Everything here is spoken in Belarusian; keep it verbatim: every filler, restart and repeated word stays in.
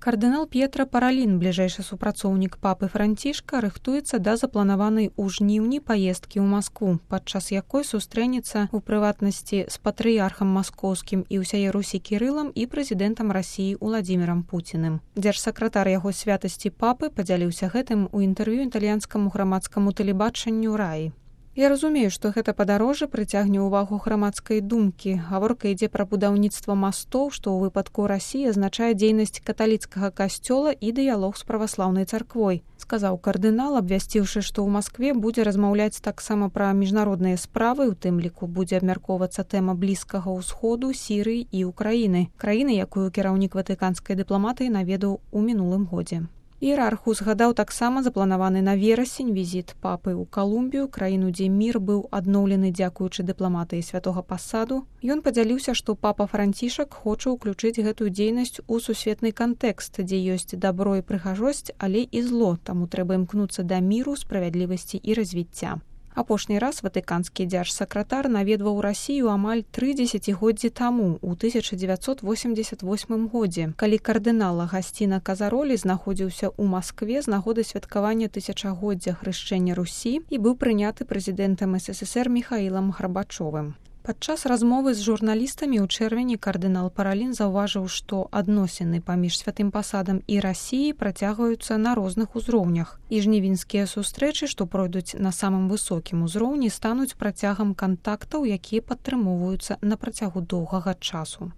Кардынал П'етра Паралін, бліжэйшы супрацоўнік папы Францішка, рыхтуецца да запланаванай у жніўні паездкі ў Маскву, падчас якой сустрэнецца ў прыватнасці з патрыярхам маскоўскім і ўсяе Русі Кірылам і прэзідэнтам Расіі Уладзімірам Пуціным. Дзяржсакратар яго святасці папы падзяліўся гэтым у інтэрв'ю італьянскаму грамадскаму тэлебачанню «Раі». Я разумею, што гэта падарожжа прыцягне ўвагу грамадскай думкі. Гаворка ідзе пра будаўніцтва мастоў, што ў выпадку Расіі азначае дзейнасць каталіцкага касцёла і дыялог з праваслаўнай царквой, сказаў кардынал, абвясціўшы, што ў Маскве будзе размаўляць таксама пра міжнародныя справы, у тым ліку будзе абмяркоўвацца тэма Блізкага ўсходу, Сірыі і Украіны, краіны, якую кіраўнік ватыканскай дыпламатыі наведаў у мінулым годзе. Іерарх узгадаў таксама запланаваны на верасень візіт папы ў Калумбію, краіну, дзе мір быў адноўлены дзякуючы дыпламатыі святога пасаду. Ён падзяліўся, што папа Францішак хоча ўключыць гэтую дзейнасць у сусветны кантэкст, дзе ёсць дабро і прыгажосць, але і зло, таму трэба імкнуцца да міру, справядлівасці і развіцця. Апошні раз ватыканскі дзяржсакратар наведваў Расію амаль тры дзесяцігоддзі таму, у тысяча дзевяцьсот восемьдесят восьмым годзе, калі кардынал Агасціна Казаролі знаходзіўся ў Маскве з нагоды святкавання тысячагоддзя хрышчэння Русі і быў прыняты прэзідэнтам эс эс эс эр Міхаілам Гарбачовым. Падчас размовы з журналістамі ў чэрвені кардынал Паралін заўважыў, што адносіны паміж святым пасадам і Расіяй працягваюцца на розных узроўнях. І жнівеньскія сустрэчы, што пройдуць на самым высокім узроўні, стануць працягам кантактаў, якія падтрымоўваюцца на працягу доўгага часу.